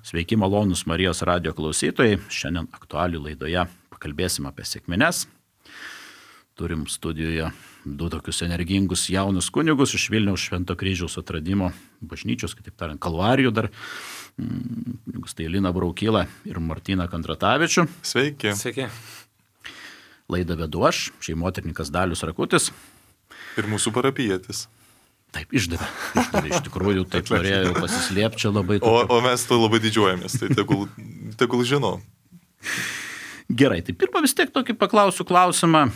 Sveiki, malonūs Marijos radijo klausytojai. Šiandien aktualių laidoje pakalbėsim apie sekmines. Turim studijoje du tokius energingus jaunus kunigus iš Vilniaus Švento Kryžiaus atradimo bažnyčios, kitaip tariant, Kalvarijų dar. Kunigus tai Lina Braukyla ir Martyną Kandratavičių. Sveiki. Sveiki. Laidą vedu aš, šeimoterininkas Dalius Rakutis. Ir mūsų parapijietis. Taip, išdavė. Iš tikrųjų, taip norėjau pasislėpti čia labai. O mes to labai didžiuojamės, tai tegul žino. Gerai, tai pirmą vis tiek tokį paklausiu klausimą,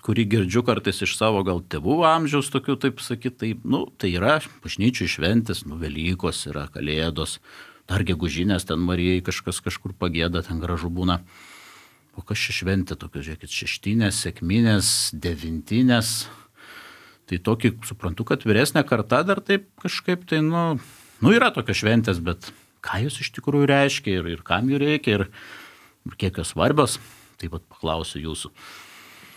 kurį girdžiu kartais iš savo gal tėvų amžiaus tokių, taip sakyti, tai yra bažnyčių šventės, Velykos yra, Kalėdos, dar gegužinės, ten Marijai kažkas kažkur pagėda, ten gražu būna. O kas čia šventė tokios, žiūrėkit, šeštinės, sekminės, devintinės. Tai tokį suprantu, kad vyresnė karta dar taip kažkaip tai, yra tokios šventės, bet ką jos iš tikrųjų reiškia ir kam jų reikia ir kiek jos svarbios, taip pat paklausiu jūsų.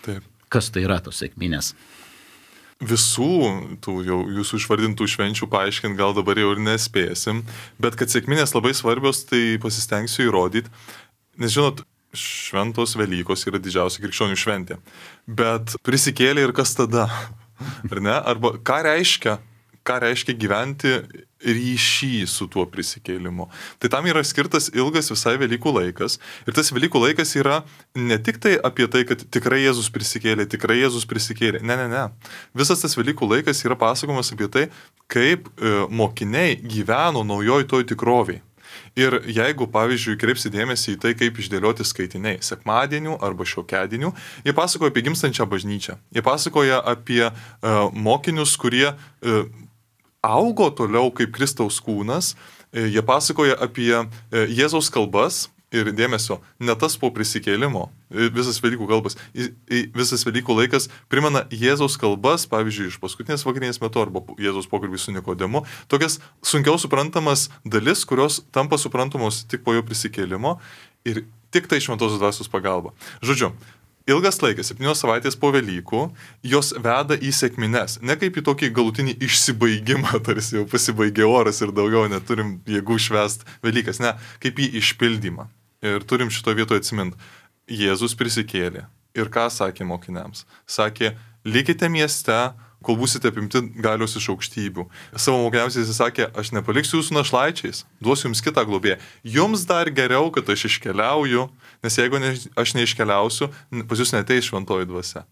Taip. Kas tai yra tos sekminės? Visų tų jau jūsų išvardintų švenčių paaiškinti gal dabar jau ir nespėsim, bet kad sekminės labai svarbios, tai pasistengsiu įrodyti, nes žinot, šventos Velykos yra didžiausia krikščionių šventė, bet prisikėlė ir kas tada? Ar ne? Arba ką reiškia gyventi ryšį su tuo prisikėlimu. Tai tam yra skirtas ilgas visai Velykų laikas. Ir tas Velykų laikas yra ne tik tai apie tai, kad tikrai Jėzus prisikėlė. Ne. Visas tas Velykų laikas yra pasakomas apie tai, kaip mokiniai gyveno naujoj toj tikroviai. Ir jeigu, pavyzdžiui, kreipsi dėmesį į tai, kaip išdėlioti skaitiniai sekmadienių arba šiokiadienių, jie pasakoja apie gimstančią bažnyčią. Jie pasakoja apie mokinius, kurie augo toliau kaip Kristaus kūnas. Jie pasakoja apie Jėzaus kalbas ir dėmesio, ne tas po prisikėlimo, visas Velykų laikas primena Jėzaus kalbas, pavyzdžiui, iš paskutinės vakarienės metu arba Jėzaus pokalbį su Nikodemu, tokias sunkiau suprantamas dalis, kurios tampa suprantamos tik po jo prisikėlimo ir tik tai šventosios dvasios pagalba. Žodžiu, ilgas laikas, 7 savaitės po Velykų, jos veda į sekmines, ne kaip į tokį galutinį išsibaigimą, tarsi jau pasibaigė oras ir daugiau neturim jėgų švęst Velykas, ne, kaip į išpildymą. Ir turim šito vietoje atsiminti. Jėzus prisikėlė. Ir ką sakė mokiniams? Sakė, likite mieste, kol būsite apimti galios iš aukštybių. Savo mokiniams jis sakė, aš nepaliksiu jūsų našlaičiais, duosiu jums kitą globėją. Jums dar geriau, kad aš iškeliauju, nes jeigu aš neiškeliausiu, pas jūs neateis šventoji dvasia.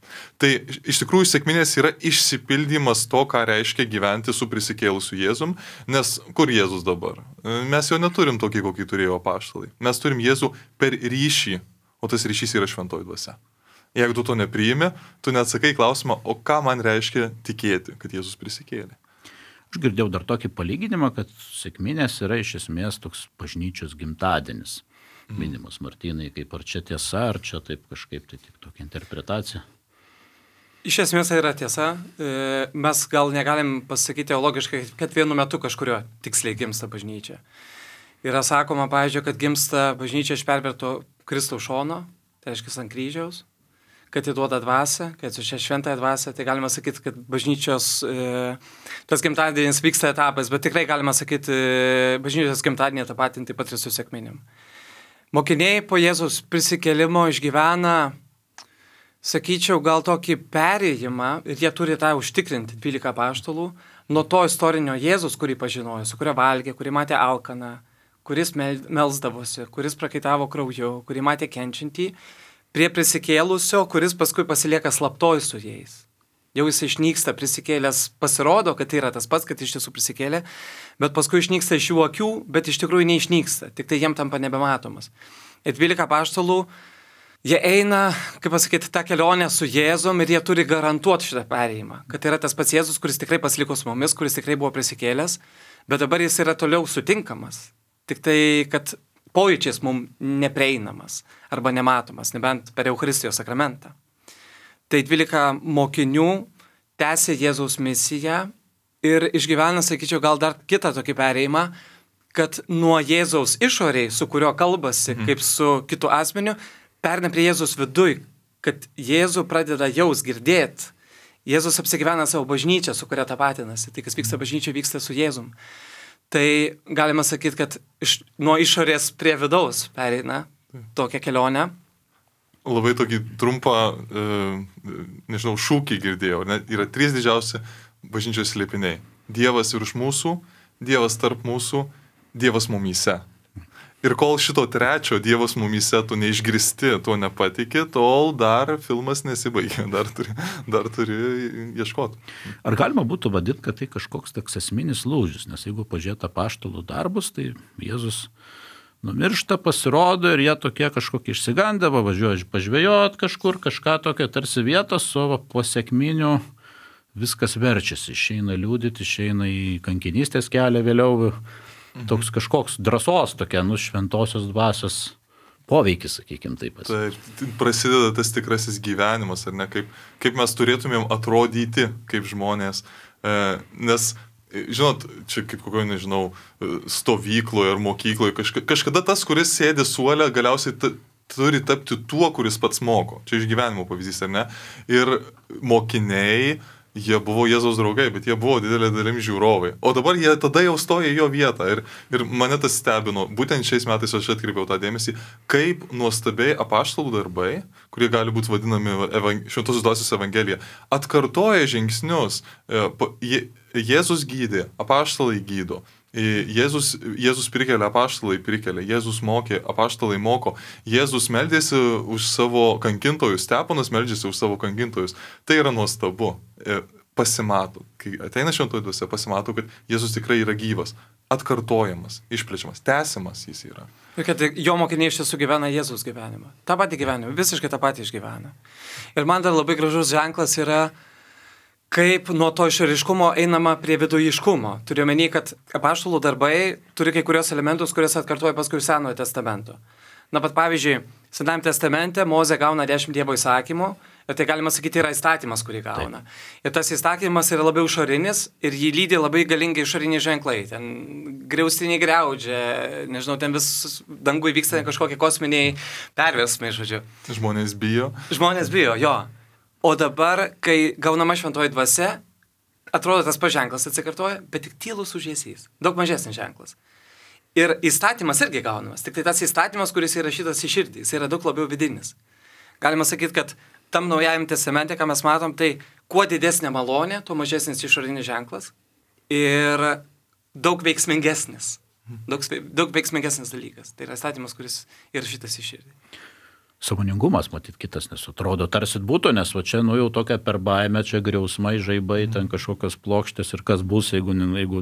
Tai iš tikrųjų sekminės yra išsipildymas to, ką reiškia gyventi su prisikėlusiu Jėzum, nes kur Jėzus dabar? Mes jo neturim tokį, kokį turėjo apaštalai. Mes turim Jėzų per ryšį, o tas ryšys yra šventoji dvasia. Jeigu tu to nepriimi, tu neatsakai klausimą, o ką man reiškia tikėti, kad Jėzus prisikėlė. Aš girdėjau dar tokį palyginimą, kad sekminės yra iš esmės toks bažnyčios gimtadienis. Minimas Martynai, kaip ar čia tiesa, ar čia taip kažkaip, tai tik tokia interpretacija. Iš esmės tai yra tiesa. Mes gal negalim pasakyti teologiškai, kad vienu metu kažkurio tiksliai gimsta bažnyčia. Yra sakoma, pavyzdžiui, kad gimsta bažnyčia iš perverto Kristaus šono, tai reiškia ant kryžiaus, kad įduoda dvasią, kad su šia šventąją dvasią, tai galima sakyti, kad bažnyčios tas gimtadienis vyksta etapais, bet tikrai galima sakyti, bažnyčios gimtadienį tapatinti taip pat ir su sekminėm. Mokiniai po Jėzaus prisikėlimo išgyvena, sakyčiau, gal tokį perėjimą, ir jie turi tą užtikrinti, 12 apaštalų, nuo to istorinio Jėzus, kurį pažinojo, su kurio valgė, kurį matė alkaną, kuris melsdavosi, kuris prakaitavo krauju, kurį matė kenčiantį, prie prisikėlusio, kuris paskui pasilieka slaptoj su jais. Jau jis išnyksta, prisikėlęs, pasirodo, kad tai yra tas pats, kad iš tiesų prisikėlė, bet paskui išnyksta iš jų akių, bet iš tikrųjų neišnyksta, tik tai jiem tampa nebematomas. Ir 12 apaštalų, jie eina, kaip pasakyti, tą kelionę su Jėzum ir jie turi garantuoti šitą perėjimą, kad tai yra tas pats Jėzus, kuris tikrai pasiliko su mumis, kuris tikrai buvo prisikėlęs, bet dabar jis yra toliau sutinkamas, tik tai, kad pojūčiais mums neprieinamas arba nematomas, nebent per Eucharistijos sakramentą. Tai 12 mokinių tęsė Jėzaus misiją ir išgyvena, sakyčiau, gal dar kitą tokį perėjimą, kad nuo Jėzaus išoriai, su kurio kalbasi, kaip su kitu asmeniu, perna prie Jėzaus viduj, kad Jėzų pradeda jaus girdėti. Jėzus apsigyvena savo bažnyčią, su kuria tapatinasi. Tai, kas vyksta bažnyčioje, vyksta su Jėzum. Tai galima sakyti, kad nuo išorės prie vidaus pereina tokią kelionę. Labai tokį trumpą, šūkį girdėjau. Yra 3 didžiausi bažnyčios slėpiniai. Dievas virš mūsų, Dievas tarp mūsų, Dievas mumyse. Ir kol šito 3 Dievas mumyse tu neišgirsti, to nepatikė, tol dar filmas nesibaigė, dar turi ieškoti. Ar galima būtų vadinti, kad tai kažkoks toks esminis lūžis, nes jeigu pažiūrėt apaštalų darbus, tai Jėzus numiršta, pasirodo ir jie tokie kažkokie išsigandę, važiuoja pažvejot kažkur, kažką tokio tarsi vietos, o po sekminių viskas verčiasi, išeina liūdyti, išeina į kankinystės kelią vėliau. Toks kažkoks drąsos tokia, šventosios dvasios poveikis, sakykime taip. Tai prasideda tas tikrasis gyvenimas, ar ne, kaip mes turėtumėm atrodyti kaip žmonės, nes, žinot, čia kaip kokio, stovykloje ar mokykloje, kažkada tas, kuris sėdi suole, galiausiai turi tapti tuo, kuris pats moko. Čia iš gyvenimo pavyzdys, ar ne? Ir mokiniai, jie buvo Jėzaus draugai, bet jie buvo didelė dalim žiūrovai. O dabar jie tada jau stoja į jo vietą. Ir mane tas stebino. Būtent šiais metais aš atkreipiau tą dėmesį, kaip nuostabiai apaštalų darbai, kurie gali būti vadinami Šventosios dvasios evangelija, atkartoja žingsnius. Jėzus gydė, apaštalai gydo. Jėzus prikelia, apaštalai prikelia, Jėzus mokė, apaštalai moko, Jėzus meldėsi už savo kankintojus, Stepanas meldžiasi už savo kankintojus. Tai yra nuostabu. Pasimato, kai ateina šventoji dvasia, pasimato, kad Jėzus tikrai yra gyvas, atkartojamas, išplečiamas, tęsiamas jis yra. Ir kad jo mokiniai iš tiesų gyvena Jėzus gyvenimą. Ta pati gyvenimą, visiškai tą patį išgyvena. Ir man dar labai gražus ženklas yra, kaip nuo to išoriškumo einama prie vidujiškumo. Turiu omeny, kad apaštalų darbai turi kai kurios elementus, kuriuos atkartoja paskui Senojo testamento. Na, pat pavyzdžiui, Senajame testamente Mozė gauna 10 Dievo įsakymų ir tai galima sakyti yra įstatymas, kurį gauna. Taip. Ir tas įstatymas yra labiau išorinis ir jį lydi labai galingai išoriniai ženklai. Ten griaustiniai griaudžia, ten vis dangui vyksta kažkokie kosminiai perversmai, žodžiu. Žmonės bijo. Žmonės bijo, jo. O dabar, kai gaunama šventoji dvasia, atrodo tas paženklas atsikartoja, bet tik tylus užėsys. Daug mažesnis ženklas. Ir įstatymas irgi gaunamas. Tik tai tas įstatymas, kuris įrašytas į širdį, jis yra daug labiau vidinis. Galima sakyti, kad tam Naujajame testamente, ką mes matom, tai kuo didesnė malonė, tuo mažesnis išorinis ženklas ir daug veiksmingesnis. Daug veiksmingesnis dalykas. Tai yra įstatymas, kuris įrašytas į širdį. Sąmoningumas, matyt, kitas nesutrodo. Tarsit būtų, nes va čia, jau tokia per baimę, čia griausmai, žaibai, ten kažkokios plokštės ir kas bus, jeigu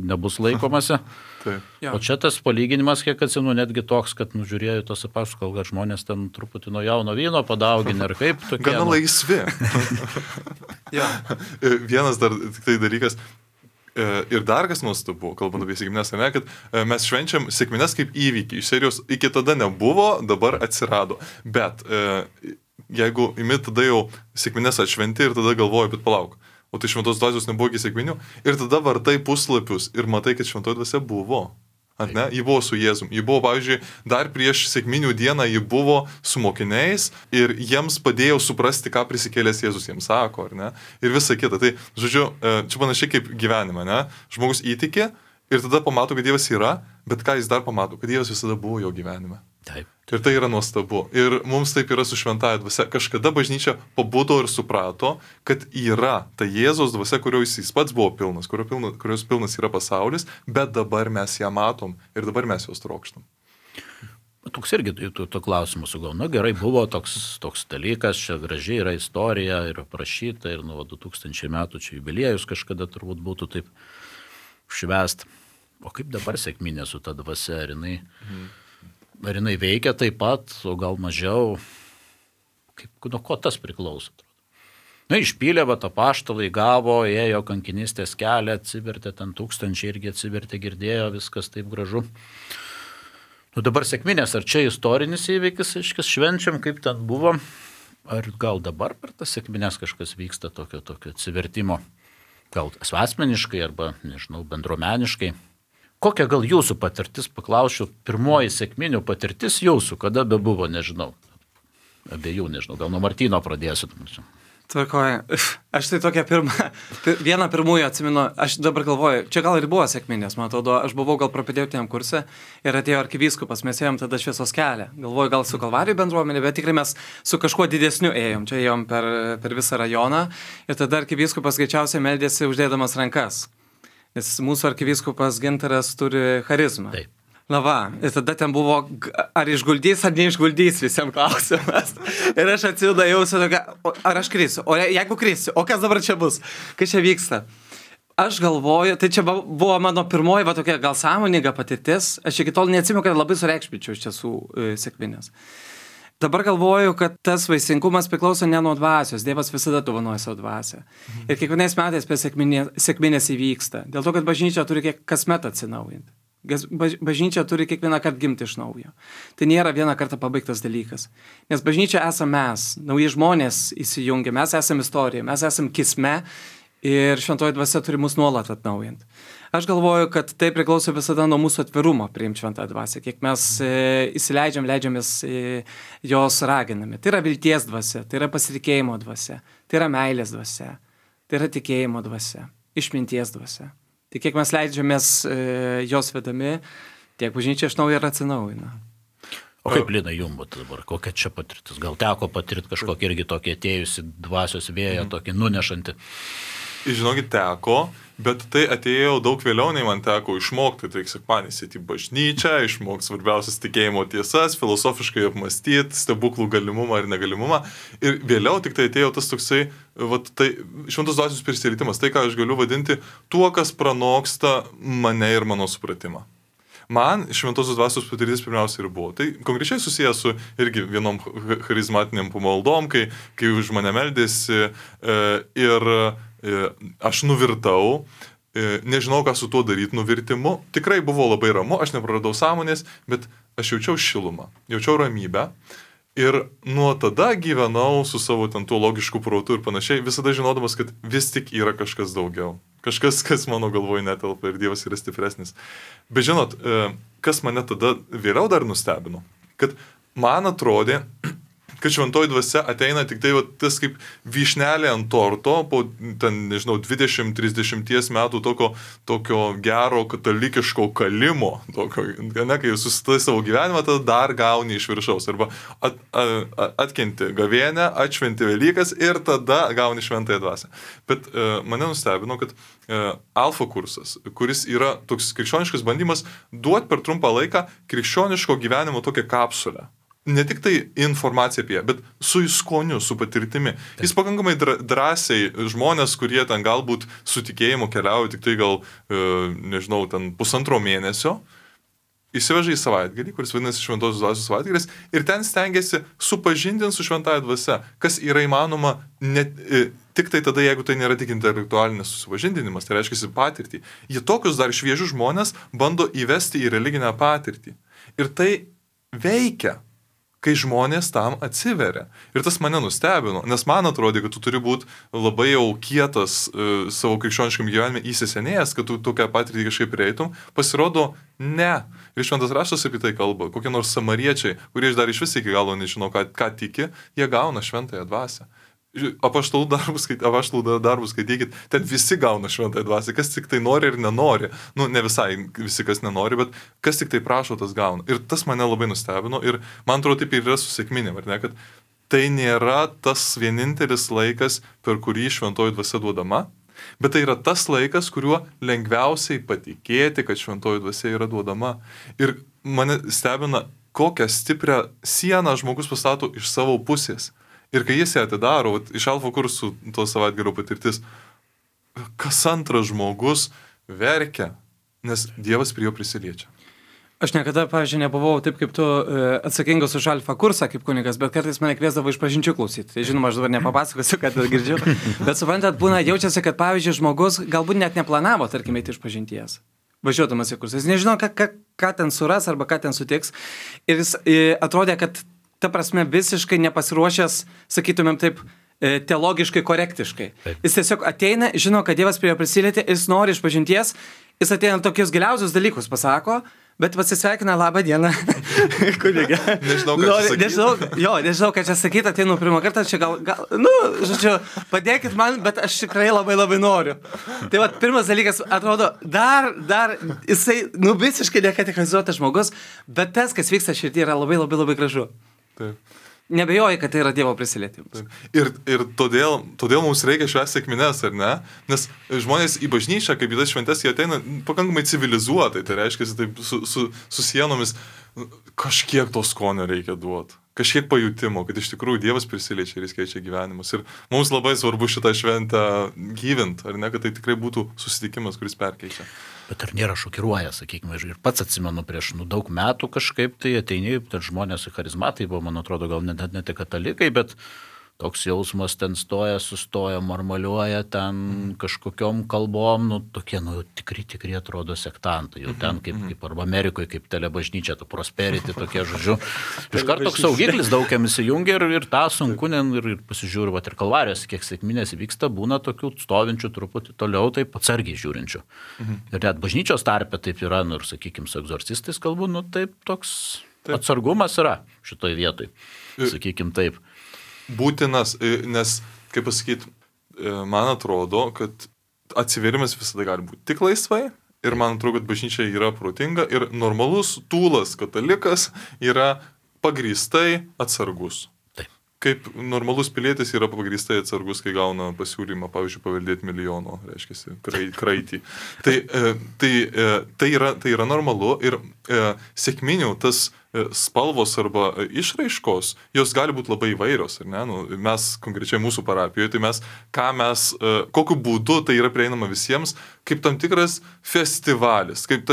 nebus laikomasi. O čia tas palyginimas, kiek atsimenu, netgi toks, kad žiūrėjau tos apaštalų, kad žmonės ten truputį nuo jauno vyno padauginę ir kaip tokie. Gana laisvi. Vienas dar tik tai dalykas. Ir dar kas nuostabu, kalbant apie sekmines, kad mes švenčiam sekmines kaip įvykį. Iš serijos iki tada nebuvo, dabar atsirado. Bet jeigu imi tada jau sekmines atšventi ir tada galvoji, bet palauk, o tai šventos dvasios nebuvo iki sekminių. Ir tada vartai puslapius ir matai, kad šventoji dvasia buvo. Ne? Ji buvo su Jėzum. Ji buvo, pavyzdžiui, dar prieš sekminių dieną ji buvo su mokiniais ir jiems padėjo suprasti, ką prisikėlęs Jėzus jiems sako, ar ne? Ir visa kita. Tai, žodžiu, čia panašiai kaip gyvenime, ne? Žmogus įtikė ir tada pamato, kad Dievas yra, bet ką jis dar pamato, kad Dievas visada buvo jo gyvenime. Taip. Ir tai yra nuostabu. Ir mums taip yra su šventąja dvasia. Kažkada bažnyčia pabudo ir suprato, kad yra ta Jėzaus dvasia, kurios jis pats buvo pilnas, kurios pilnas yra pasaulis, bet dabar mes ją matom ir dabar mes jos trokštam. Toks irgi to klausimų sugauna. Gerai, buvo toks dalykas, čia gražiai yra istorija ir aprašyta ir nuo 2000 metų čia jubiliejus kažkada turbūt būtų taip švęst. O kaip dabar sekminė su ta dvasia, ar jinai veikia taip pat, o gal mažiau, nuo ko tas priklauso? Išpylė, apaštalai gavo, ėjo kankinystės kelią, atsivertė, ten 1000 irgi atsivertė, girdėjo, viskas taip gražu. Dabar sekminės, ar čia istorinis įvykis, švenčiam, kaip ten buvo, ar gal dabar per tas sekminės kažkas vyksta tokio atsivertimo, gal asmeniškai arba, bendruomeniškai. Kokia gal jūsų patirtis, paklausiu, pirmoji sekminių patirtis jūsų, kada bebuvo, abiejų, gal nuo Martyno pradėsiu. Tvarkoju. Aš tai vieną pirmųjų atsimenu, aš dabar galvoju, čia gal ir buvo sekminės, man atrodo, aš buvau gal propedėtiniam kurse ir atėjo arkivyskupas, mes ėjom tada šviesos kelią. Galvoju, gal su Kalvarijų bendruomenė, bet tikrai mes su kažkuo didesniu ėjom, čia ėjom per visą rajoną ir tada arkivyskupas greičiausiai meldėsi uždėdamas rankas, nes mūsų arkivyskupas Gintaras turi charizmą. Taip. Na va, ir tada ten buvo, ar išguldys, ar neišguldys visiems klausimas. Ir aš atsidėjau su tokia, ar aš krisiu, o jeigu krisiu, o kas dabar čia bus, kas čia vyksta. Aš galvoju, tai čia buvo mano pirmoji, tokia gal sąmoninga patirtis, aš iki tol neatsimenu, kad labai sureikšminčiau iš tiesų sekminės. Dabar galvoju, kad tas vaisingumas priklauso ne nuo dvasios, Dievas visada dovanoja savo dvasią. Ir kiekvienais metais per sekminės įvyksta, dėl to, kad bažnyčia turi kasmet atsinaujinti. Bažnyčia turi kiekvieną kartą gimti iš naujo. Tai nėra vieną kartą pabaigtas dalykas. Nes bažnyčia esame mes, nauji žmonės įsijungia, mes esame istorija, mes esame kisme ir šventoji dvasia turi mus nuolat atnaujinti. Aš galvoju, kad tai priklauso visada nuo mūsų atvirumo priimti šventąją dvasią, kiek mes leidžiamės jos raginami. Tai yra vilties dvasia, tai yra pasitikėjimo dvasia, tai yra meilės dvasia, tai yra tikėjimo dvasia, išminties dvasia. Tai kiek mes leidžiamės jos vedami, tiek bažnyčia iš naujo ir atsinaujina. O kaip, Lina, jums dabar, kokia čia patirtis? Gal teko patirti kažkokį irgi tokį atėjusi dvasios vėją, tokį nunešantį? Žinokit, teko, bet tai atėjo daug vėliau, nei man teko išmokti. Tai sekmadienis į bažnyčią, išmokti svarbiausias tikėjimo tiesas, filosofiškai apmastyti, stebuklų galimumą ir negalimumą. Ir vėliau tik tai atėjo tas toksai, tai šventos dvasios prisilietimas, tai ką aš galiu vadinti tuo, kas pranoksta mane ir mano supratimą. Man šventosios dvasios patirtis pirmiausia ir buvo. Tai konkrečiai susijęs su irgi vienom charizmatiniam pamaldom, kai už mane meldėsi ir aš nuvirtau, nežinau, ką su tuo daryti nuvirtimu. Tikrai buvo labai ramu, aš nepraradau sąmonės, bet aš jaučiau šilumą, jaučiau ramybę. Ir nuo tada gyvenau su savo ten tuo logišku protu ir panašiai, visada žinodamas, kad vis tik yra kažkas daugiau. Kažkas, kas mano galvoje netelpa ir Dievas yra stipresnis. Bet žinot, kas mane tada vėliau dar nustebino, kad man atrodė, kad šventoji dvasia ateina tik tai tas kaip vyšnelė ant torto po, ten, nežinau, 20-30 metų tokio gero katalikiško kalimo, kai susitai savo gyvenimą, tada dar gauni iš viršaus. Arba atkenti gavėnę, atšventi Velykas ir tada gauni šventąją dvasią. Bet mane nustebino, kad alfa kursas, kuris yra toks krikščioniškas bandymas duoti per trumpą laiką krikščioniško gyvenimo tokią kapsulę. Ne tik tai informacija apie ją, bet su skoniu, su patirtimi. Jis pakankamai drąsiai žmonės, kurie ten galbūt su tikėjimu keliauja tik tai gal, nežinau, ten 1,5 mėnesio, įsiveža į savaitgalį, kuris vadinasi šventosios dvasios savaitgalis, ir ten stengiasi supažindinti su šventąja dvasia, kas yra įmanoma tik tai tada, jeigu tai nėra tik intelektualinis susipažindinimas, tai reiškia patirtį. Jie tokius dar šviežius žmonės bando įvesti į religinę patirtį. Ir tai veikia, kai žmonės tam atsiveria. Ir tas mane nustebino, nes man atrodė, kad tu turi būti labai jau kietas savo krikščioniškam gyvenime įsisenėjęs, kad tu tokią patirtį kažkaip prieitum. Pasirodo, ne. Ir šventas raštas apie tai kalba. Kokie nors samariečiai, kurie dar iš vis iki galo nežino, ką tiki, jie gauna šventąją dvasią. Apaštalų darbus skaitykit, ten visi gauna šventąją dvasią, kas tik tai nori ir nenori. Ne visai visi, kas nenori, bet kas tik tai prašo, tas gauna. Ir tas mane labai nustebino ir man atrodo taip ir yra su sekminėm, ar ne, kad tai nėra tas vienintelis laikas, per kurį šventoji dvasia duodama, bet tai yra tas laikas, kuriuo lengviausiai patikėti, kad šventoji dvasia yra duodama. Ir mane stebina, kokią stiprią sieną žmogus pastato iš savo pusės. Ir kai jis ją atidaro, iš alfa kursų to savaitgalio patirtis, kas antras žmogus verkia, nes Dievas prie jo prisiliečia. Aš niekada, pavyzdžiui, nebuvau taip kaip tu atsakingas už alfa kursą kaip kunigas, bet kartais mane kviesdavo iš pažinčių klausyti. Tai žinoma, aš dabar nepapasakosiu, kad girdžiu. Bet suprantat, būna jaučiasi, kad pavyzdžiui, žmogus galbūt net neplanavo, tarkim, eiti iš pažinties. Važiuodamas į kursą. Jis nežino, ką ten suras arba ką ten sutiks. Ir jis atrodė, kad ta prasme visiškai nepasiruošęs, sakytumėm taip, teologiškai korektiškai. Taip. Jis tiesiog ateina, žino, kad Dievas prie jo prisilietė, jis nori iš pažinties, jis ateina tokius giliausius dalykus pasako, Bet pasisveikina, labą dieną, kunigė. Nežinau, ką čia sakyti, ateinu pirmą kartą, čia žodžiu, padėkit man, bet aš tikrai labai labai noriu. Tai va, pirmas dalykas, atrodo, dar jisai, visiškai nekategorizuotas žmogus, bet tas, kas vyksta širdį, yra labai labai labai gražu. Taip. Nebejoji, kad tai yra Dievo prisilietimas. Ir todėl mums reikia švęsti sekmines, ar ne? Nes žmonės į bažnyčią, kaip į tas šventes, jie ateina pakankamai civilizuotai, tai reiškia, taip su sienomis kažkiek to skonio reikia duoti, kažkiek pajutimo, kad iš tikrųjų Dievas prisiliečia ir jis keičia gyvenimus. Ir mums labai svarbu šitą šventę gyvint, ar ne, kad tai tikrai būtų susitikimas, kuris perkeičia. Bet ar nėra šokiruoja, sakykime, ir pats atsimenu prieš daug metų kažkaip tai ateini, ten žmonės charizmatai buvo, man atrodo, gal net ne katalikai, bet toks jausmas ten sustoja, marmaliuoja ten kažkokiom kalbom, tokie, tikri atrodo sektantai, jau ten kaip arba Amerikoje, kaip telebažnyčia, ta prosperity, tokie žodžiu. Iš karto toks saugiklis daugiam įsijungia ir tą sunku, ir pasižiūriu, ir kalvarijos, kiek sekminės vyksta, būna tokių stovinčių truputį toliau, taip atsargiai žiūrinčių. Ir net bažnyčios tarpe taip yra, ir sakykime, su egzorcistais kalbu, taip toks atsargumas yra šitoj vietoj, sakykime taip. Būtinas, nes, kaip pasakyti, man atrodo, kad atsivėrimas visada gali būti tik laisvai ir man atrodo, kad bažnyčia yra protinga ir normalus tūlas katalikas yra pagrįstai atsargus. Taip. Kaip normalus pilietis yra pagrįstai atsargus, kai gauna pasiūlymą, pavyzdžiui, paveldėti milijono, reiškia, kraitį. Tai yra normalu ir sekminių tas spalvos arba išraiškos, jos gali būti labai įvairios, ar ne? Mes, konkrečiai mūsų parapijoje, tai kokiu būdu tai yra prieinama visiems, kaip tam tikras festivalis, kaip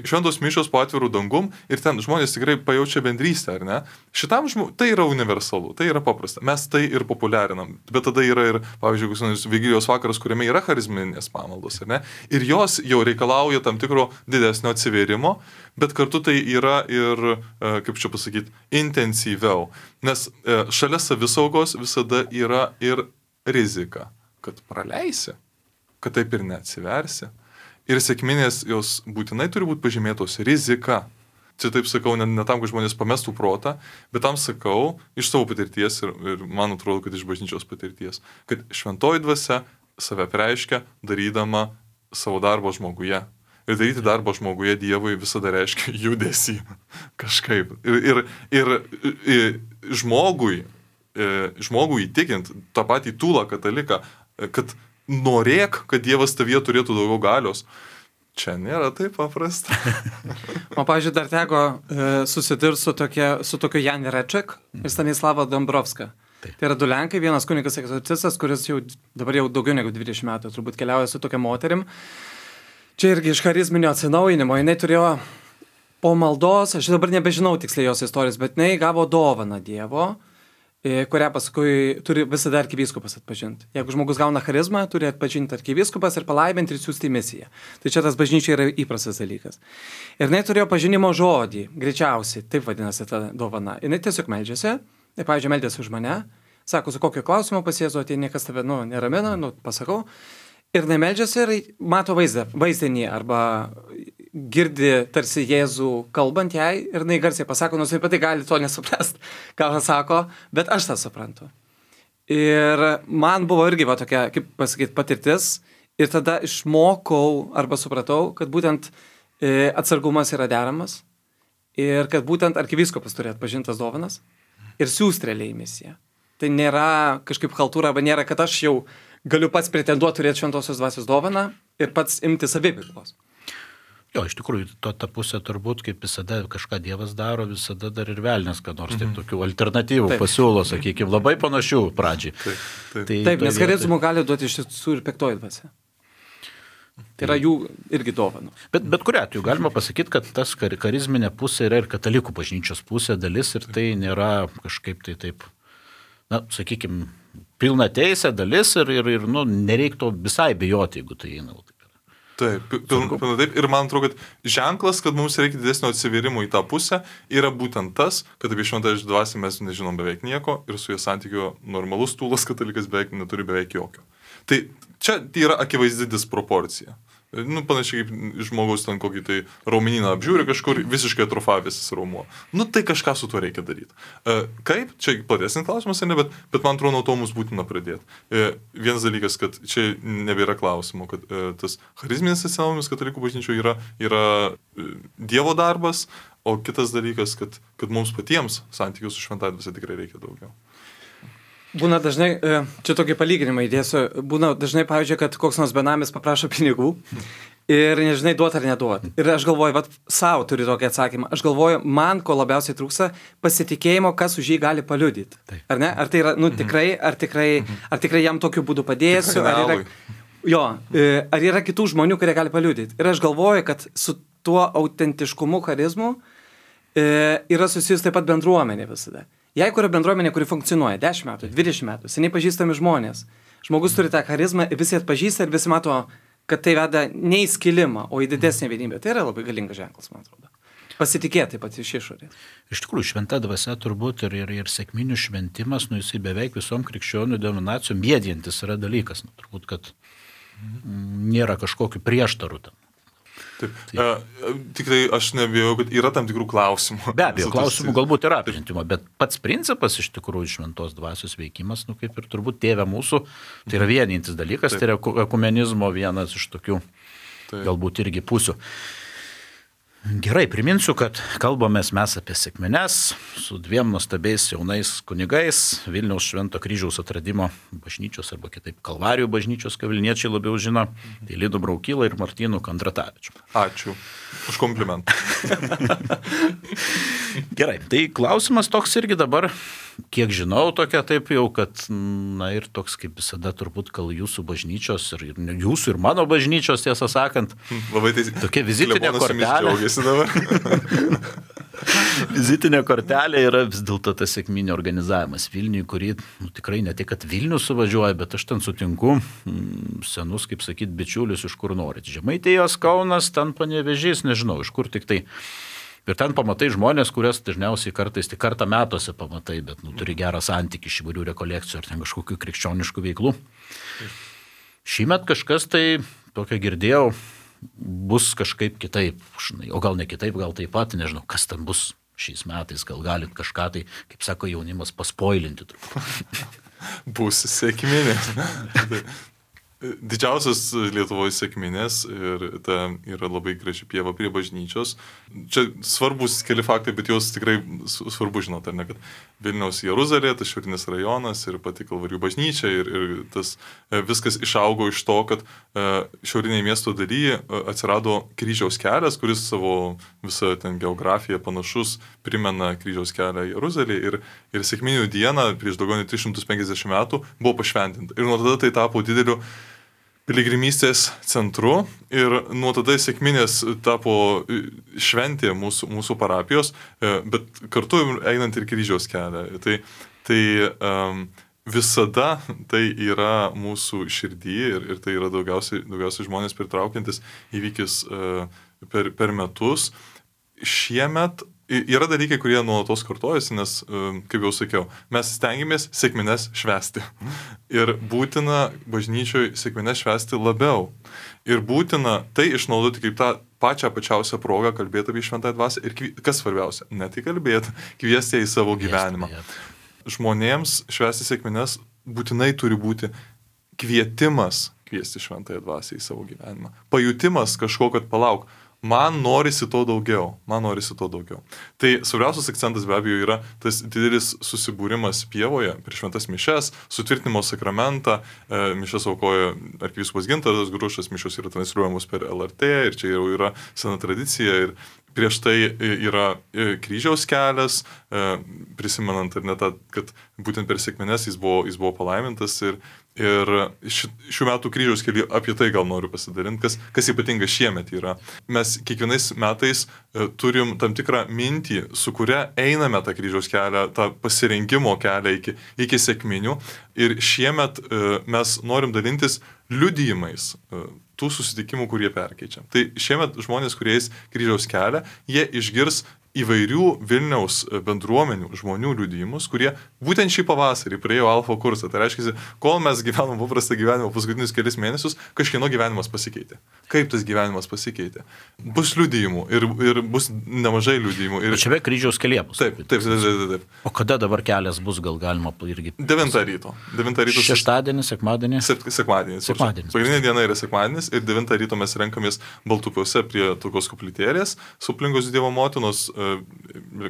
šventos mišios po atvirų dangum ir ten žmonės tikrai pajaučia bendrystę, ar ne? Šitam tai yra universalu, tai yra paprasta. Mes tai ir populiarinam, bet tada yra ir, pavyzdžiui, Vigilijos vakaras, kuriame yra charizminės pamaldos, ar ne? Ir jos jau reikalauja tam tikro didesnio atsivėrimo, bet kartu tai yra ir, kaip čia pasakyti, intensyviau. Nes šalia savisaugos visada yra ir rizika, kad praleisi, kad taip ir neatsiversi. Ir sekminės jos būtinai turi būti pažymėtos rizika. Čia taip sakau, ne tam, kad žmonės pamestų protą, bet tam sakau iš savo patirties ir man atrodo, kad iš bažnyčios patirties, kad šventoji dvasia save reiškia darydama savo darbo žmoguje. Ir daryti darbą žmoguje Dievui visada reiškia judesį kažkaip. Ir žmogui įtikint tą patį tūlą kataliką, kad norėk, kad Dievas tavyje turėtų daugiau galios, čia nėra taip paprasta. Man, pavyzdžiui, dar teko susidurti su tokiu Jan Reček ir Stanislava Dombrovska. Taip. Tai yra du Lenkai, vienas kunigas egzorcistas, kuris dabar jau daugiau negu 20 metų turbūt keliauja su tokia moterim. Čia irgi iš charizminio atsinaujinimo, jinai turėjo po maldos, aš dabar nebežinau tiksliai jos istorijos, bet jinai gavo dovaną Dievo, kurią paskui turi visada arkivyskupas atpažinti. Jeigu žmogus gauna charizmą, turi atpažinti arkivyskupas ir palaibinti ir siųsti į misiją. Tai čia tas bažnyčiai yra įprastas dalykas. Ir jinai turėjo pažinimo žodį, greičiausiai, taip vadinasi ta dovana. Jinai tiesiog meldžiasi, ir, pavyzdžiui, meldžiasi už mane, sako, su kokiu klausimu pas Jėzų atėjo, niekas tave, neramina, pasakau. Ir nemeldžiasi ir mato vaizdinį arba girdi tarsi Jėzų kalbant jai ir jinai garsiai pasako, nors apie tai gali to nesuprasti, ką jis sako, bet aš tą suprantu. Ir man buvo irgi tokia, kaip pasakyti, patirtis ir tada išmokau arba supratau, kad būtent atsargumas yra deramas ir kad būtent arkivyskupas turi atpažintas dovanas ir siųsti realiai į misiją. Tai nėra kažkaip chaltūra, arba nėra, kad aš jau galiu pats pretenduoti turėti šventosios dvasios dovaną ir pats imti saviveiklos. Jo, iš tikrųjų, ta pusė turbūt, kaip visada kažką Dievas daro, visada dar ir velnias, kad nors taip tokių alternatyvų pasiūlo, sakykime, labai panašių pradžiai. Taip, nes charizmų gali duoti iš tiesų ir piktoji dvasia. Tai yra jų irgi dovanų. Bet kuriuo atveju galima pasakyti, kad tas charizminė pusė yra ir katalikų bažnyčios pusė dalis ir tai nėra kažkaip tai taip, sakykime, pilna teisė dalis ir nereiktų visai bijoti, jeigu tai eina. Taip, pilna taip. Ir man atrodo, kad ženklas, kad mums reikia didesnio atsivėrimo į tą pusę, yra būtent tas, kad apie šventąją dvasią mes nežinom beveik nieko ir su jie santykio normalus tūlas katalikas neturi beveik jokio. Tai čia yra akivaizdi disproporcija. Nu, panašiai kaip žmogaus ten kokį tai raumenyną apžiūri kažkur visiškai atrofavęsis raumuo. Nu, tai kažką su tuo reikia daryti. Kaip? Čia platesnis klausimas, ne, bet man atrodo, nuo to mums būtina pradėti. Vienas dalykas, kad čia nebėra klausimo, kad tas charizminis atsinaujinimas katalikų bažnyčioje yra Dievo darbas, o kitas dalykas, kad mums patiems santykių su šventąja dvasia tikrai reikia daugiau. Būna dažnai, čia tokį palyginimą įdėsiu, būna dažnai, pavyzdžiui, kad koks nors benamis paprašo pinigų ir nežinai duot ar neduot. Ir aš galvoju, savo turi tokį atsakymą, aš galvoju, man ko labiausiai trūksta pasitikėjimo, kas už jį gali paliudyti. Ar ne? Ar tai yra, tikrai, ar tikrai jam tokiu būdu padėsiu, ar yra kitų žmonių, kurie gali paliudyti. Ir aš galvoju, kad su tuo autentiškumu, charizmu yra susijus taip pat bendruomenė visada. Jeigu yra bendruomenė, kuri funkcionuoja 10 metų, 20 metų, seniai pažįstami žmonės, žmogus turi tą charizmą, visi atpažįsta ir visi mato, kad tai veda ne į skilimą, o į didesnį vienybę. Tai yra labai galingas ženklas, man atrodo. Pasitikėti taip pat iš išorės. Iš tikrųjų, šventa dvasia turbūt ir sekminių šventimas, jisai beveik visom krikščionių denominacijom mėdintis yra dalykas. Turbūt, kad nėra kažkokių prieštarų tam. Tik tai aš nebijau, kad yra tam tikrų klausimų. Be abejo, klausimų galbūt yra apžintimo, bet pats principas iš tikrųjų šventos dvasios veikimas, kaip ir turbūt tėve mūsų, tai yra vienintis dalykas, tai yra ekumenizmo vienas iš tokių galbūt irgi pusių. Gerai, priminsiu, kad kalbamės mes apie sekmines su 2 nuostabiais jaunais kunigais Vilniaus Švento Kryžiaus atradimo bažnyčios arba kitaip Kalvarijų bažnyčios, ką vilniečiai labiau žino, tai Lidu Braukylą ir Martynu Kondratavičiu. Ačiū už komplimentą. Gerai, tai klausimas toks irgi dabar, kiek žinau, tokia taip jau, kad, ir toks kaip visada turbūt, gal jūsų bažnyčios ir jūsų ir mano bažnyčios, tiesą sakant, tokia vizitinė kortelė. Vizitinė kortelė yra vis dėlto tas sekminių organizavimas Vilniui, kurį tikrai ne tik, kad Vilnius suvažiuoja, bet aš ten sutinku senus, kaip sakyt, bičiulius, iš kur norit. Žemaitijos, Kaunas, ten Panevėžys, nežinau, iš kur tik tai. Ir ten pamatai žmonės, kurias dažniausiai kartais tik kartą metuose pamatai, bet turi gerą santykį iš įvairių rekolekcijų ar ten kažkokių krikščioniškų veiklų. Šįmet kažkas tai, tokio girdėjau, bus kažkaip kitaip, o gal ne kitaip, gal taip pat, nežinau, kas ten bus šiais metais, gal galit kažką tai, kaip sako jaunimas, paspoilinti truputį. Bus sekminės. Didžiausias Lietuvoje sekminės ir ta yra labai graži pieva prie bažnyčios. Čia svarbus keli faktai, bet jos tikrai svarbu žinoti, ar ne, kad Vilniaus Jeruzalė, tas šiaurinis rajonas ir pati Kalvarijų bažnyčia ir tas viskas išaugo iš to, kad šiaurinėje miesto dalyje atsirado kryžiaus kelias, kuris savo visą ten geografiją panašus primena kryžiaus kelią Jeruzalė ir sekminių dieną prieš daugiau nei 350 metų buvo pašventinta. Ir nuo tada tai tapo dideliu piligrimystės centru ir nuo tada sekminės tapo šventė mūsų parapijos, bet kartu einant ir kryžiaus kelią. Tai visada tai yra mūsų širdį ir tai yra daugiausiai žmonės pritraukiantis įvykis per metus. Šiemet yra dalykai, kurie nuolatos kartojasi, nes, kaip jau sakiau, mes stengiamės sekmines švęsti. Ir būtina bažnyčioje sekmines švęsti labiau. Ir būtina tai išnaudoti kaip tą pačiausią progą kalbėti apie šventąją dvasią. Ir kas svarbiausia, ne tik kalbėti, kviesti ją į savo gyvenimą. Žmonėms švęsti sekmines būtinai turi būti kvietimas kviesti šventąją dvasią į savo gyvenimą. Pajutimas kažko, kad palauk. Man norisi to daugiau. Tai svarbiausias akcentas be abejo yra tas didelis susibūrimas pievoje prieš šventas mišias, sutvirtinimo sakramentą, mišias aukoja arkivyskupas Gintaras Grušas, mišios yra transliuojamos per LRT ir čia jau yra sena tradicija ir prieš tai yra kryžiaus kelias, prisimenant ar ne tą, kad būtent per sekmines jis buvo palaimintas ir šių metų kryžiaus kelyje apie tai gal noriu pasidalinti, kas ypatinga šiemet yra. Mes kiekvienais metais turim tam tikrą mintį, su kuria einame tą kryžiaus kelią, tą pasirinkimo kelią iki sekminių ir šiemet mes norim dalintis liudijimais tų susitikimų, kurie perkeičia. Tai šiemet žmonės, kurie eis kryžiaus kelią, jie išgirs įvairių Vilniaus bendruomenių žmonių liudijimus, kurie būtent šį pavasarį praėjo alfa kursą. Tai reiškia, kol mes gyvenom paprastą gyvenimą paskutinius kelias mėnesius, kažkieno gyvenimas pasikeitė. Kaip tas gyvenimas pasikeitė? Bus liudijimų ir bus nemažai liudijimų. Ir... Čia be kryžiaus kelyje bus. Taip. O kada dabar kelias bus, gal galima irgi... 9 ryto. Šeštadienis, sekmadienis? Sekmadienis. Pagrindinė diena yra sekmadienis ir 9 ryto mes renkamės Baltupiuose prie tokios koplytėlės su Plingos Dievo motinos,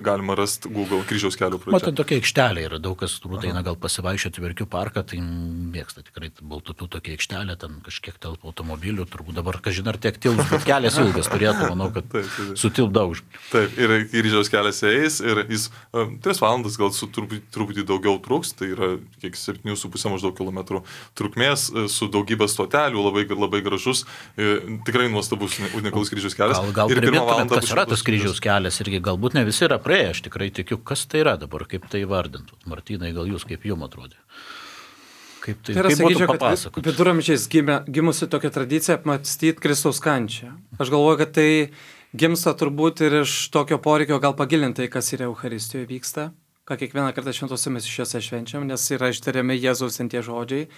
galima rasti Google kryžiaus kelio pradžia. Matai, tokia aikštelė yra, daug kas turbūt eina gal pasivaikščioti Verkių parką, tai mėgsta tikrai Baltupių tokia aikštelė, ten kažkiek telpa automobilių, turbūt dabar, kažin ar tiek tilps, bet kelias ilgas turėtų, manau, kad sutilp daug. Taip, ir kryžiaus kelias eis ir jis 3 valandas gal truputį daugiau truks, tai yra kiek 7,5 maždaug kilometrų trukmės, su daugybė stotelių, labai gražus, tikrai nuostabus unikalus kryžiaus kelias. Gal primintumėt, kas yra tas kryžiaus kelias irgi, galbūt ne visi yra praėję, aš tikrai tikiu, kas tai yra dabar, kaip tai vardintų. Martynai, gal jūs, kaip jums atrodė? Kaip tai būtų papasakoti? Viduramžiais gimusi tokia tradicija apmąstyti Kristaus kančią. Aš galvoju, kad tai gimsta turbūt ir iš tokio poreikio gal pagilinti, kas yra Eucharistijoje vyksta, ką kiekvieną kartą šventose mišiose švenčiam, nes yra ištariami Jėzaus ten tie žodžiai.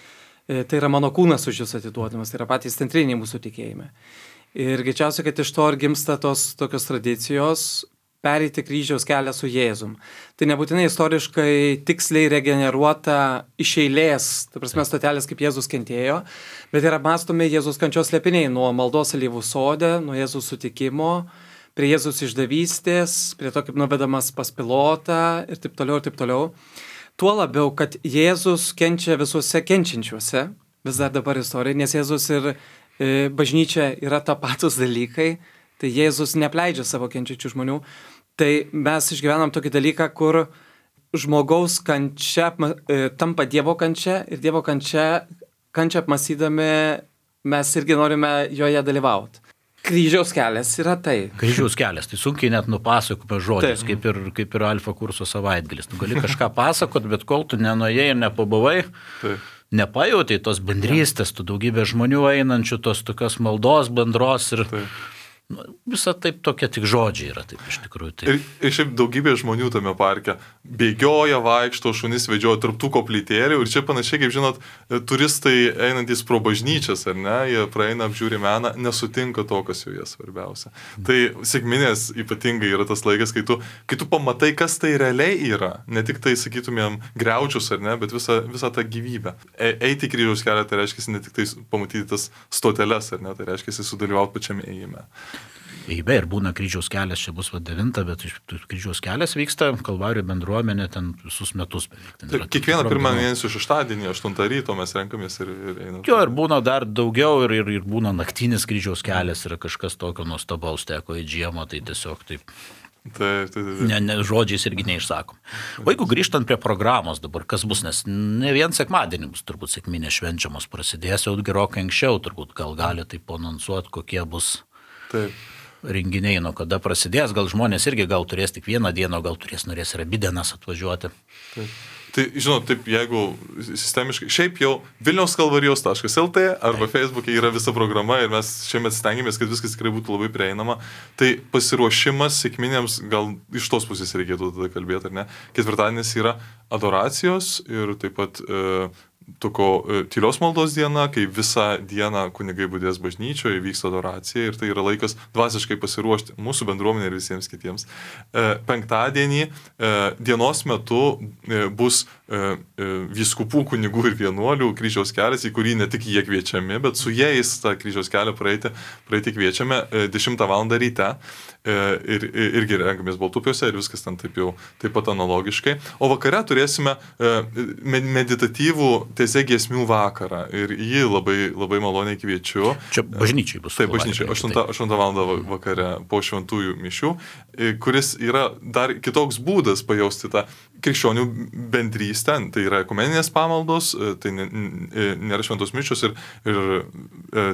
Tai yra mano kūnas už jūs atiduodamas, tai yra patys centriniai mūsų tikėjime. Ir greičiausiai, kad iš to ir gimsta tos tokios tradicijos pereiti kryžiaus kelią su Jėzum. Tai nebūtinai istoriškai tiksliai regeneruota iš eilės, tai prasme stotelės, kaip Jėzus kentėjo, bet yra mąstomi Jėzus kančios slėpiniai nuo maldos alyvų sode, nuo Jėzus sutikimo, prie Jėzus išdavystės, prie to, kaip nuvedamas pas pilotą ir taip toliau, ir taip toliau. Tuo labiau, kad Jėzus kenčia visuose kenčiančiuose, vis dar dabar istorija, nes Jėzus ir bažnyčia yra tapatus dalykai, tai Jėzus neapleidžia savo kenčiančių žmonių. Tai mes išgyvenam tokį dalyką, kur žmogaus kančia tampa Dievo kančia ir Dievo kančia apmąstydami mes irgi norime joje dalyvauti. Kryžiaus kelias yra tai. Kryžiaus kelias, tai sunkiai net nupasakome žodžiais, kaip ir alfa kurso savaitgalis. Tu gali kažką pasakot, bet kol tu nenuėjai ir nepabuvai, nepajautai tos bendrystės, tu daugybė žmonių einančių, tos tokios maldos bendros ir... Visa taip tokia tik žodžiai yra, taip iš tikrųjų. Taip. Ir šiaip daugybė žmonių tame parke bėgioja, vaikšto, šunis vedžioja tarp tų koplytėlių ir čia panašiai, kaip žinot, turistai einantys pro bažnyčias, ar ne, jie praeina, apžiūri meną, nesutinka to, kas joje svarbiausia. Tai sekminės ypatingai yra tas laikas, kai tu pamatai, kas tai realiai yra, ne tik tai, sakytumėm, griaučius, ar ne, bet visą tą gyvybę. Eiti kryžiaus kelią, tai reiškia ne tik tai pamatyti tas stoteles, ar ne, tai reiškia sudalyvauti pačiame ėjime. Be ir būna kryžiaus kelias, čia bus 9, bet kryžiaus kelias vyksta, Kalvarijų bendruomenė ten visus metus beveik. Kiekvieną pirmą mėnesio šeštadienį, 8 ryto mes renkamės ir einame. Jo, ir būna dar daugiau, ir būna naktinis kryžiaus kelias, yra kažkas tokio nuostabaus, teko į žiemą, tai tiesiog taip. Taip. Ne, žodžiais irgi neišsakom. O jeigu grįžtant prie programos dabar, kas bus, nes ne vien sekmadienį bus turbūt sekminės švenčiamos, prasidės jau gerokai anksčiau, turbūt gal gali taip anonsuoti, kokie bus renginiai, nuo kada prasidės, gal žmonės irgi gal turės tik vieną dieną, gal norės ir abi dienas atvažiuoti. Taip. Tai, žinot, taip, jeigu sistemiškai, šiaip jau vilniauskalvarijos.lt arba Facebook'e yra visa programa ir mes šiemet stengiamės, kad viskas tikrai būtų labai prieinama, tai pasiruošimas sekminėms, gal iš tos pusės reikėtų tada kalbėti, ar ne? Ketvirtadienis yra adoracijos ir taip pat tylios maldos diena, kai visą dieną kunigai budės bažnyčioje, vyksta adoracija ir tai yra laikas dvasiškai pasiruošti mūsų bendruomenė ir visiems kitiems. Penktadienį dienos metu bus vyskupų, kunigų ir vienuolių kryžiaus kelias, į kurį ne tik jie kviečiami, bet su jais tą kryžiaus kelią praeiti kviečiame 10 val. Ryte ir irgi renkamės Baltupiuose ir viskas ten taip pat analogiškai. O vakare turėsime meditatyvų tezė giesmių vakarą ir jį labai, labai maloniai kviečiu. Čia bažnyčiai bus. Taip, bažnyčiai, 8 val. Vakare po šventųjų mišių, kuris yra dar kitoks būdas pajausti tą krikščionių bendrystę, tai yra ekumeninės pamaldos, tai nėra šventos mišios ir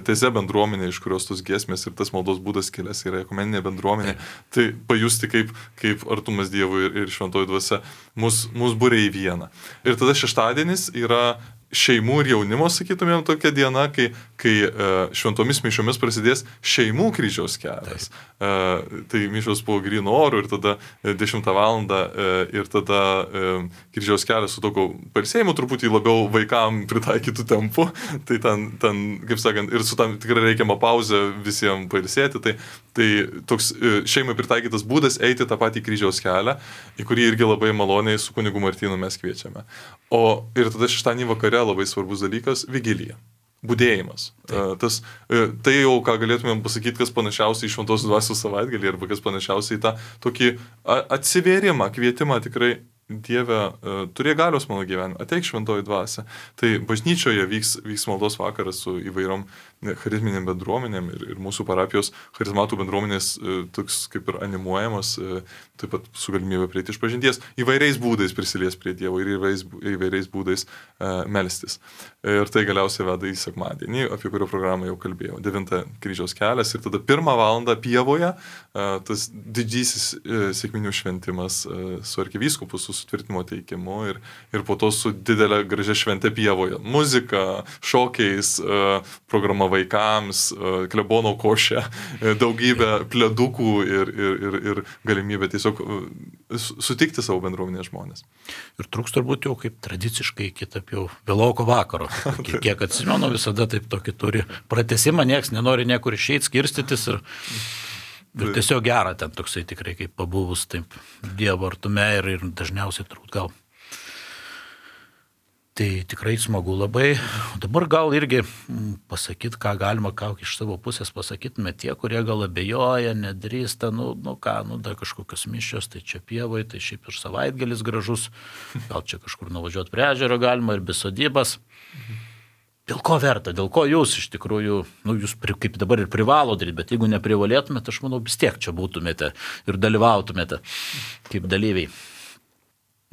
tezė bendruomenė, iš kurios tos giesmės ir tas maldos būdas kilęs yra ekumeninė bendruomenė, tai pajusti kaip artumas Dievui ir šventoji dvasia mus būria į vieną. Ir tada šeštadienis yra šeimų ir jaunimo, sakytumėm, tokia diena, kai kai šventomis mišiomis prasidės šeimų kryžiaus kelias. Tai mišios po gryno oro ir tada 10 val. Ir tada kryžiaus kelias su tokiu pailsėjimu truputį labiau vaikam pritaikytų tempu. Tai ten, kaip sakant, ir su tam tikrai reikiama pauzė visiems pailsėti. Tai toks šeimai pritaikytas būdas eiti tą patį kryžiaus kelią, į kurį irgi labai maloniai su kunigu Martynu mes kviečiame. Ir tada šeštadienį vakare labai svarbus dalykas - vigilija. Budėjimas. Tai jau, ką galėtumėm pasakyti, kas panašiausiai į šventos dvasios savaitgalį arba kas panašiausiai į tą tokį atsivėrimą, kvietimą tikrai Dieve, turėjo galios mano gyvenime, ateik šventoji dvasia. Tai bažnyčioje vyks maldos vakaras su įvairiom charizminėm bendruomenėm ir mūsų parapijos charizmatų bendruomenės toks kaip ir animuojamas, taip pat su galimybė prieiti iš pažinties, įvairiais būdais prisilies prie Dievo ir įvairiais būdais melstis. Ir tai galiausiai veda į sekmadienį, apie kurio programą jau kalbėjau, 9 kryžiaus kelias ir tada 1 valandą pievoje tas didžysis sekminių šventimas su arkivyskupu, su sutvirtinimo teikimu ir po to su didelė gražia šventė pievoje. Muzika, šokiais, programa vaikams, klebono košė, daugybė pledukų ir galimybė tiesiog sutikti savo bendruomenės žmonės. Ir truks turbūt jau kaip tradiciškai iki taip jau vėloko vakaro. Kiek atsimenu, visada taip tokį turi pratesimą, nieks nenori niekur išeiti, skirstytis ir tiesiog gera ten toksai tikrai kaip pabuvus taip Dievo artume ir dažniausiai turbūt gal. Tai tikrai smagu labai. Dabar gal irgi pasakyti, ką galima, ką iš savo pusės pasakytume tie, kurie gal abejoja, nedrįsta, dar kažkokios mišios, tai čia pievoje, tai šiaip ir savaitgalis gražus, gal čia kažkur nuvažiuoti prie ežero galima ir be sodybas. Dėl ko verta, dėl ko jūs iš tikrųjų, jūs kaip dabar ir privalo daryti, bet jeigu neprivalėtumėte, aš manau, vis tiek čia būtumėte ir dalyvautumėte kaip dalyviai.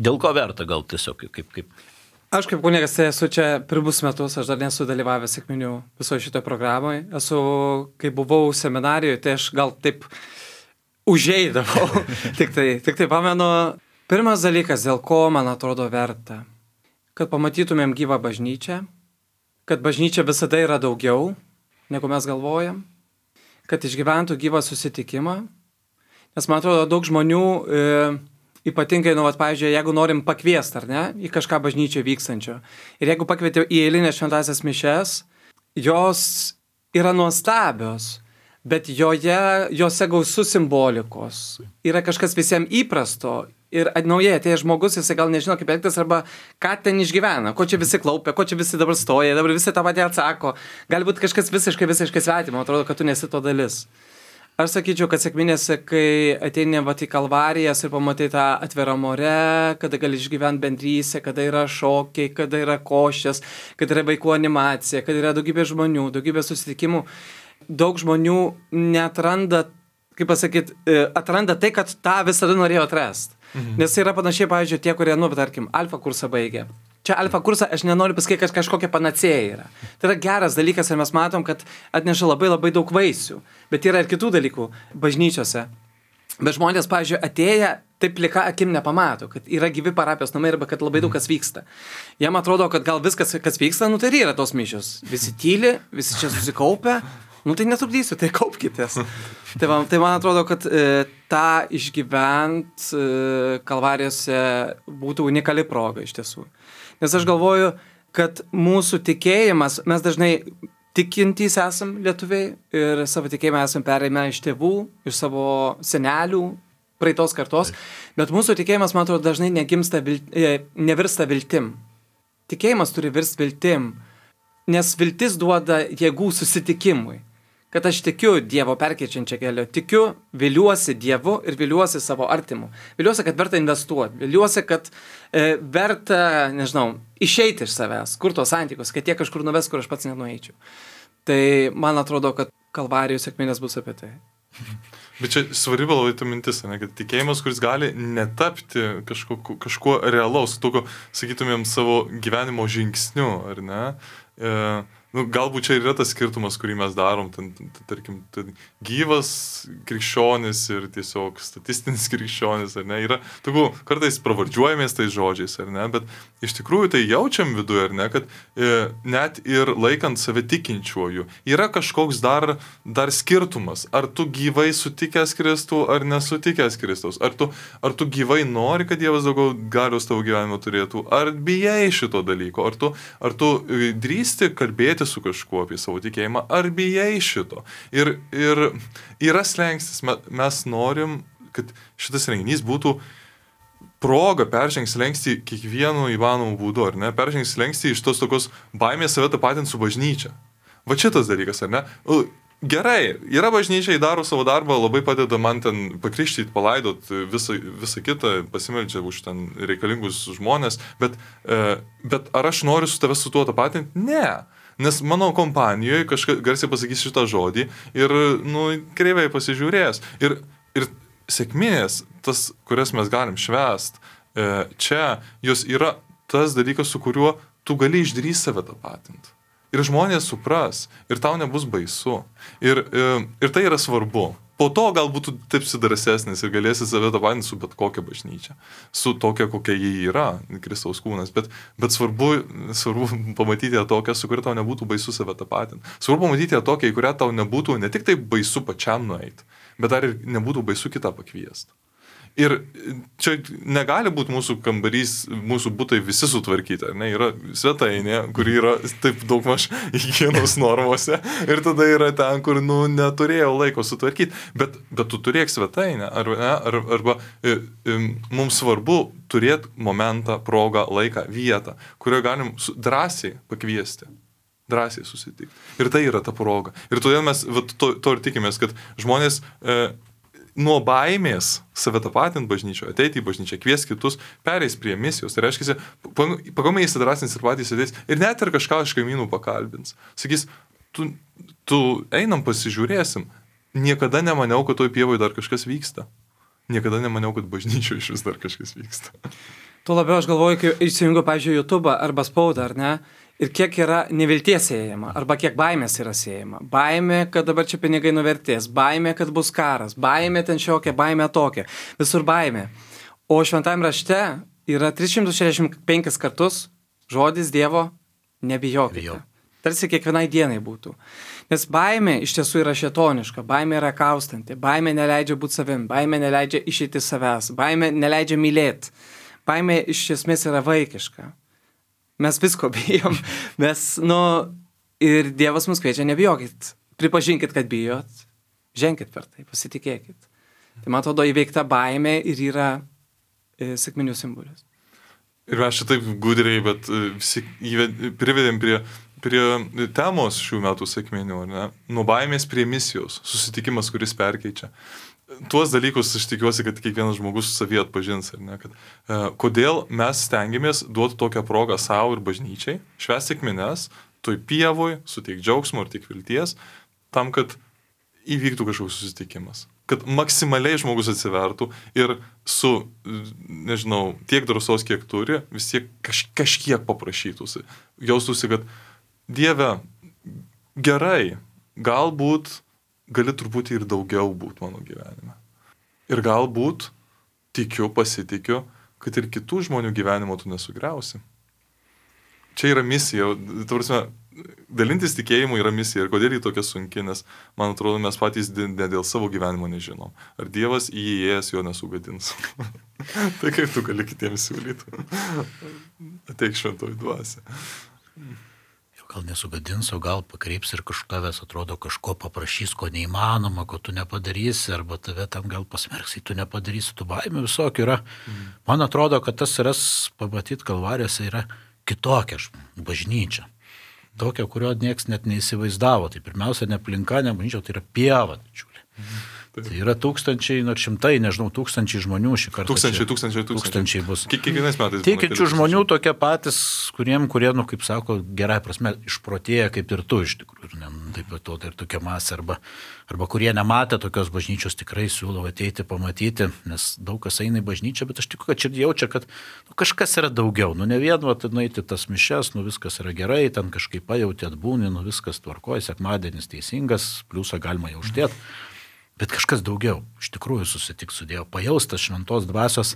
Dėl ko verta gal tiesiog kaip? Aš kaip kunigas esu čia pirmus metus, aš dar nesu dalyvavęs sekminių visoje šitoje programoje. Kai buvau seminarijoje, tai aš gal taip užeidavau. tik tai pamenu, pirmas dalykas, dėl ko man atrodo verta, kad pamatytumėm gyvą bažnyčią, kad bažnyčia visada yra daugiau, negu mes galvojam, kad išgyventų gyvą susitikimą. Nes man atrodo, daug žmonių, ypatingai, pavyzdžiui, jeigu norim pakviesti, ar ne, į kažką bažnyčio vykstančio. Ir jeigu pakvietė į eilinę šventąsias mišes, jos yra nuostabios, bet jose gausu simbolikos. Yra kažkas visiems įprasto. Ir naujai atėjęs žmogus, jisai gal nežino, kaip elgtis arba ką ten išgyvena, ko čia visi klaupia, ko čia visi dabar stoja, dabar visi tą patį atsako. Galbūt kažkas visiškai svetimo, atrodo, kad tu nesi to dalis. Aš sakyčiau, kad sekminėse, kai ateini į Kalvarijas ir pamatai tą atvirą more, kada gali išgyventi bendrystę, kada yra šokiai, kada yra košės, kada yra vaikų animacija, kada yra daugybė žmonių, daugybė susitikimų, daug žmonių neatranda, atranda tai, kad tą visada norėjo atrasti. Nes yra panašiai, pavyzdžiui, tie, kurie, tarkim, alfa kursą baigė. Čia alfa kursą aš nenoriu pasakyti, kad kažkokia panacėja yra. Tai yra geras dalykas ir mes matom, kad atneša labai labai daug vaisių. Bet yra ir kitų dalykų bažnyčiose. Bet žmonės, pavyzdžiui, atėję, taip plika akim nepamato, kad yra gyvi parapijos namai arba kad labai daug kas vyksta. Jam atrodo, kad gal viskas, kas vyksta, tai yra tos mišios. Visi tyli, visi čia susikaupia. Tai netrukdysiu, tai kaupkitės. Tai man atrodo, kad tą išgyvent Kalvarijose būtų unikali proga iš tiesų. Nes aš galvoju, kad mūsų tikėjimas, mes dažnai tikintys esam lietuviai ir savo tikėjimą esam perėmę iš tėvų, iš savo senelių, praeitos kartos, bet mūsų tikėjimas, man atrodo, dažnai nevirsta viltim. Tikėjimas turi virsti viltim, nes viltis duoda jėgų susitikimui. Kad aš tikiu Dievo perkeičiančią kelią, tikiu, viliuosi Dievu ir viliuosi savo artimu. Viliuosi, kad verta investuoti, viliuosi, kad verta, išeiti iš savęs, kur tos santykius, kad jie kažkur nuves, kur aš pats nenueičiau. Tai man atrodo, kad Kalvarijų sekminės bus apie tai. Bet čia svarbi labai ta mintis, kad tikėjimas, kuris gali netapti kažkuo realaus, tokio, sakytumėm, savo gyvenimo žingsniu, ar ne? galbūt čia yra tas skirtumas, kurį mes darom, tarkim, gyvas krikščionis ir tiesiog statistinis krikščionis, ar ne, yra, kartais pravardžiuojamės tais žodžiais, ar ne, bet iš tikrųjų tai jaučiam viduje, ar ne, kad net ir laikant save tikinčiuoju, yra kažkoks dar skirtumas, ar tu gyvai sutikęs Kristų, ar nesutikęs Kristaus, ar tu gyvai nori, kad Dievas daugiau galios tavo gyvenimo turėtų, ar bijai šito dalyko, ar tu drįsti kalbėti su kažkuo apie savo tikėjimą, ar bijai šito. Ir yra slengstis, mes norim, kad šitas renginys būtų proga peržengti slengstį kiekvienu įmanomu būdu, ar ne? Peržengti slengstį iš tos tokios baimės save tapatinti su bažnyčia. Va šitas dalykas, ar ne? Gerai, yra bažnyčia, daro savo darbą, labai padeda man ten pakrikštyti, palaidot, visą kitą, pasimeldžia už ten reikalingus žmonės, bet ar aš noriu su tave su tuo tapatinti? Ne. Nes mano kompanijoje kažkas garsiai pasakys šitą žodį ir, kreivai pasižiūrės. Ir sekminės, tas, kurias mes galim švęst, čia jos yra tas dalykas, su kuriuo tu gali išdrįsti save tapatinti. Ir žmonės supras, ir tau nebus baisu. Ir tai yra svarbu. Po to galbūt tu taip drąsesnis ir galėsi save tapatinti su bet kokia bažnyčia. Su tokia, kokia jį yra, Kristaus kūnas. Bet svarbu pamatyti ją tokią, su kuria tau nebūtų baisu save tapatinti. Svarbu pamatyti ją tokią, į kurią tau nebūtų ne tik tai baisu pačiam nueiti, bet dar ir nebūtų baisu kitą pakviesti. Ir čia negali būti mūsų kambarys, mūsų butai visi sutvarkyti, ar ne? Yra svetainė, kuri yra taip daugmaž higienos normose ir tada yra ten, kur, neturėjau laiko sutvarkyti. Bet tu turėk svetainę, arba mums svarbu turėti momentą, progą, laiką, vietą, kurioje galim drąsiai pakviesti. Drąsiai susitikti. Ir tai yra ta proga. Ir todėl mes to ir tikimės, kad žmonės nuo baimės save tapatinti bažnyčioje, ateiti į bažnyčią, kvies kitus, pereis prie misijos. Tai reiškia, pagamai įsidrasins ir patys sėdės ir net ir kažką iš kaimynų pakalbins. Sakys, tu einam pasižiūrėsim. Niekada nemaniau, kad toj pievoje dar kažkas vyksta. Niekada nemaniau, kad bažnyčioje iš vis dar kažkas vyksta. Tuo labiau aš galvoju, kai įsijungiu, pavyzdžiui, YouTube arba spaudą, ar ne? Ir kiek yra nevilties siejama, arba kiek baimės yra siejama. Baimė, kad dabar čia pinigai nuvertės, baimė, kad bus karas, baimė ten šiokia, baimė tokia, visur baimė. O šventajame rašte yra 365 kartus žodis Dievo nebijokite. Tarsi kiekvienai dienai būtų. Nes baimė iš tiesų yra šėtoniška, baimė yra kaustanti, baimė neleidžia būti savim, baimė neleidžia išeiti savęs, baimė neleidžia mylėti, baimė iš esmės yra vaikiška. Mes visko bijom, ir Dievas mus kviečia, nebijokit, pripažinkit, kad bijot, ženkit per tai, pasitikėkit. Tai man atrodo įveikta baimė ir yra sekminių simbolis. Ir mes šitaip gudriai, bet visi privedėm prie temos šių metų sekminių, ar ne? Nuo baimės prie misijos, susitikimas, kuris perkeičia. Tuos dalykus aš tikiuosi, kad kiekvienas žmogus savyje atpažins, ar ne, kad kodėl mes stengiamės duoti tokią progą savo ir bažnyčiai, švęsti sekmines, toj pievoj, suteikti džiaugsmo ir tik vilties, tam, kad įvyktų kažkoks susitikimas. Kad maksimaliai žmogus atsivertų ir su, tiek drąsos, kiek turi, vis tiek kažkiek paprašytųsi. Jaustųsi, kad Dieve, gerai, galbūt gali truputį ir daugiau būti mano gyvenime. Ir galbūt pasitikiu, kad ir kitų žmonių gyvenimo tu nesugriausi. Čia yra misija. Dalintis tikėjimu yra misija. Ir kodėl jį tokia sunki, nes, man atrodo, mes patys ne dėl savo gyvenimo nežinom. Ar Dievas įėjęs jo nesugadins? Tai kaip tu gali kitiems siūlyti? Ateik šventoji dvasia. Gal nesugadins, o gal pakreips ir kažkavęs atrodo kažko paprašys, ko neįmanoma, ko tu nepadarysi, arba tave tam gal pasmerks, tu nepadarysi, tu baimė visokių yra. Man atrodo, kad tas yra, pamatyti Kalvarijose, yra kitokia bažnyčia. Tokia, kurio nieks net neįsivaizdavo. Tai pirmiausia, ne aplinka, ne bažnyčia, tai yra pieva. Tai yra tūkstančiai, nors šimtai, nežinau, tūkstančiai žmonių šį kartą. Tūkstančiai bus. Kiekvienais metais. Tikinčių žmonių tokie patys, kurie, kaip sako, gerai prasme, išprotėję kaip ir tu iš tikrųjų. Ir taip pat tai ir tokia masė. Arba kurie nematė tokios bažnyčios, tikrai siūlau ateiti, pamatyti, nes daug kas eina į bažnyčią, bet aš tikiu, kad širdį jaučia, kad kažkas yra daugiau. Ne vien, nueiti tas mišes, viskas yra gerai, ten kažkaip pajauti, atbūni, viskas tvarkoja, sekmadienis teisingas, pliusą galima jau uždėti. Bet kažkas daugiau, iš tikrųjų susitik su Dievu, pajaustas šventos dvasios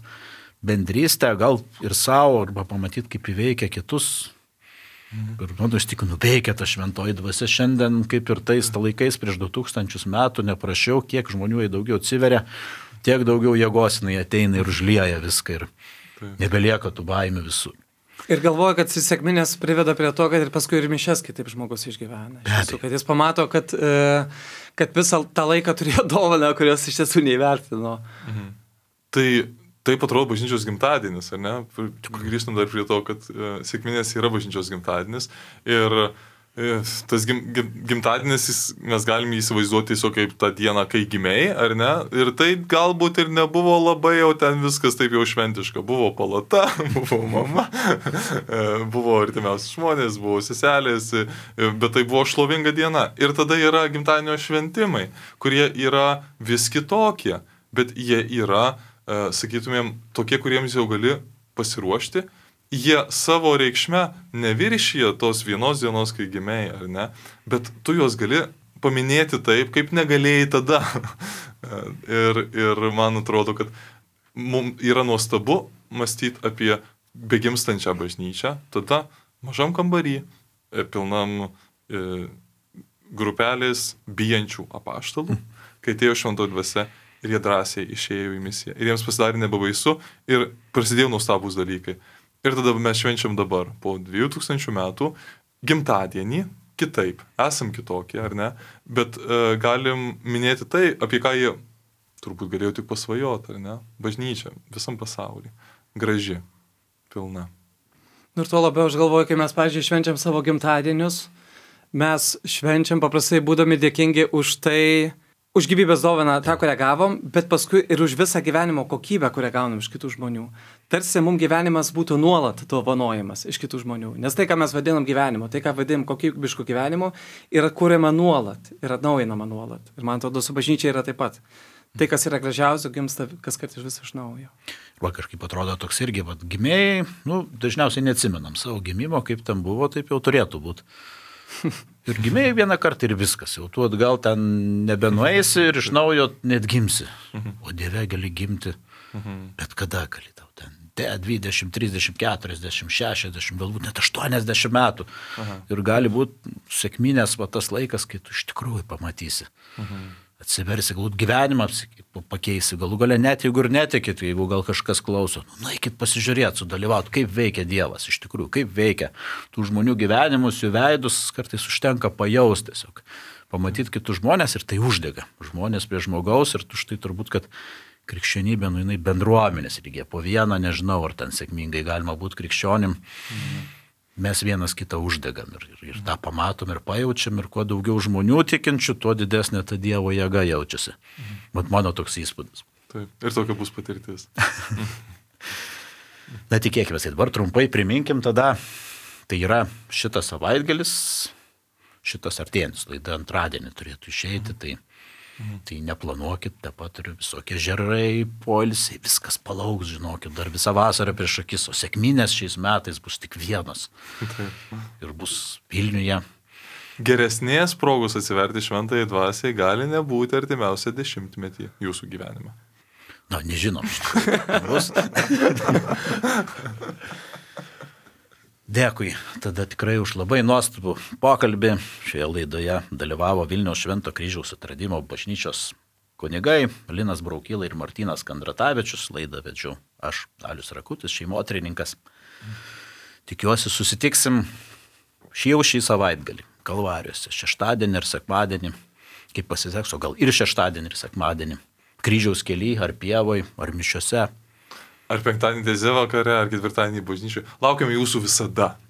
bendrystę, gal ir savo, arba pamatyti, kaip įveikia kitus. Ir iš tikrųjų veikia ta šventoji dvasia šiandien, kaip ir tais laikais prieš 2000 metų, neprašiau, kiek žmonių daugiau atsiveria, tiek daugiau jėgos jinai ateina ir užlieja viską ir nebelieka tų baimių visų. Ir galvoju, kad sekminės priveda prie to, kad ir paskui ir mišes kitaip žmogus išgyvena. Tiesų, kad jis pamato, kad visą tą laiką turėjo dovaną, kurios iš tiesų neįvertino. Taip atrodo bažnyčios gimtadienis, ar ne? Grįžtam dar prie to, kad sekminės yra bažnyčios gimtadienis. Ir tas gimtadienis, mes galime įsivaizduoti tiesiog kaip tą dieną, kai gimėjai, ar ne? Ir tai galbūt ir nebuvo labai jau ten viskas taip jau šventiška. Buvo palata, buvo mama, buvo artimiausi žmonės, buvo seselės, bet tai buvo šlovinga diena. Ir tada yra gimtadienio šventimai, kurie yra vis kitokie, bet jie yra, sakytumėm, tokie, kuriems jau gali pasiruošti. Jie savo reikšme neviršyje tos vienos dienos, kai gimėjai, ar ne, bet tu juos gali paminėti taip, kaip negalėjai tada. ir man atrodo, kad mums yra nuostabu mąstyti apie begimstančią bažnyčią, tada mažam kambarį, pilnam grupelės bijančių apaštalų, kai atėjo šventoji dvasia ir jie drąsiai išėjo į misiją. Ir jiems pasidarė nebebaisu ir prasidėjo nuostabūs dalykai. Ir tada mes švenčiam dabar, po 2000 metų, gimtadienį, kitaip, esam kitokie, ar ne, bet galim minėti tai, apie ką jie turbūt galėjo tik pasvajoti, ar ne, bažnyčia, visam pasaulyje, graži, pilna. Ir tuo labiau aš galvoju, kai mes, pavyzdžiui, švenčiam savo gimtadienius, mes švenčiam paprastai būdami dėkingi už tai, už gyvybės dovaną tą, kurią gavom, bet paskui ir už visą gyvenimo kokybę, kurią gaunam iš kitų žmonių. Tarsi mums gyvenimas būtų nuolat dovanojimas iš kitų žmonių. Nes tai, ką mes vadinam gyvenimu, tai, ką vadinam kokybišku gyvenimu, yra kuriama nuolat, yra atnaujinama nuolat. Ir man atrodo, su bažnyčia yra taip pat. Tai, kas yra gražiausio, gimsta kas kart vis iš naujo. Va kažkaip atrodo toks irgi, gimėjai, dažniausiai neatsimenam savo gimimo, kaip ten buvo, taip jau turėtų būti. Ir gimėjai vieną kartą ir viskas, jau tu atgal ten nebenueisi ir iš naujo net gimsi. O Dieve gali gimti, bet kada gali tau ten 20, 30, 40, 60, galbūt net 80 metų. Ir gali būti sekminės tas laikas, kai tu iš tikrųjų pamatysi. Atsiversi, galbūt gyvenimą pakeisi, galų gale net jeigu ir netikit, jeigu gal kažkas klauso, nueikit pasižiūrėti, sudalyvauti, kaip veikia Dievas, iš tikrųjų, kaip veikia tų žmonių gyvenimus, jų veidus, kartais užtenka pajausti tiesiog, pamatyti kitus žmonės ir tai uždega, žmonės prie žmogaus ir tu štai turbūt, kad krikščionybė, jinai bendruomenės lygiai, po vieną, nežinau, ar ten sėkmingai galima būti krikščionim. Mes vienas kitą uždegam ir tą pamatom ir pajaučiam ir kuo daugiau žmonių tikinčių, tuo didesnė ta Dievo jėga jaučiasi. Bet mano toks įspūdis. Taip, ir tokia bus patirtis. Na tikėkime, dabar trumpai priminkim tada, tai yra šitas savaitgalis, šitas artėjantis laida antradienį turėtų išeiti, tai neplanuokit, taip pat ir visokie žerai, poilsiai, viskas palauks, žinokit, dar visą vasarą prieš akis, o sekminės šiais metais bus tik vienas. Ir bus Vilniuje. Geresnės progos atsiverti šventajai dvasiai gali nebūti artimiausią 10-metį jūsų gyvenime. Na, nežinom. Bus. Dėkui, tada tikrai už labai nuostabų pokalbį. Šioje laidoje dalyvavo Vilniaus Švento Kryžiaus atradimo bažnyčios kunigai Linas Braukyla ir Martynas Kandratavičius. Laidą vedžiau aš, Alius Rakutis, šeimotyrininkas. Tikiuosi susitiksim šį savaitgalį Kalvarijose, šeštadienį ir sekmadienį, kaip pasiseks, o gal ir šeštadienį ir sekmadienį, Kryžiaus kely, ar pievoj, ar mišiose. Ar penktadienį teze vakare, ar ketvirtadienį bažnyčioje. Laukiame jūsų visada.